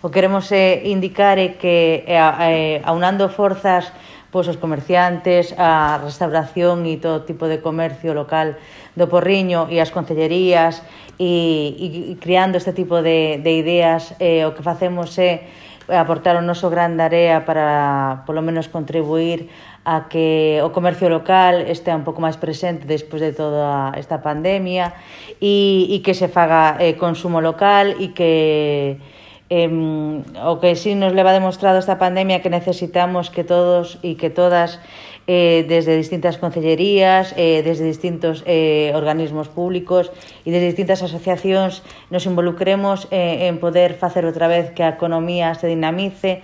O que queremos indicar é que aunando forzas, pois os comerciantes, a restauración e todo tipo de comercio local do Porriño e as concellerías e creando este tipo de ideas, o que facemos é aportar o noso gran area para, polo menos, contribuir a que o comercio local estea un pouco máis presente despois de toda esta pandemia e que se faga consumo local e que o que sí nos leva demostrado esta pandemia que necesitamos que todos e que todas desde distintas concellerías, desde distintos organismos públicos e desde distintas asociacións nos involucremos en poder facer outra vez que a economía se dinamice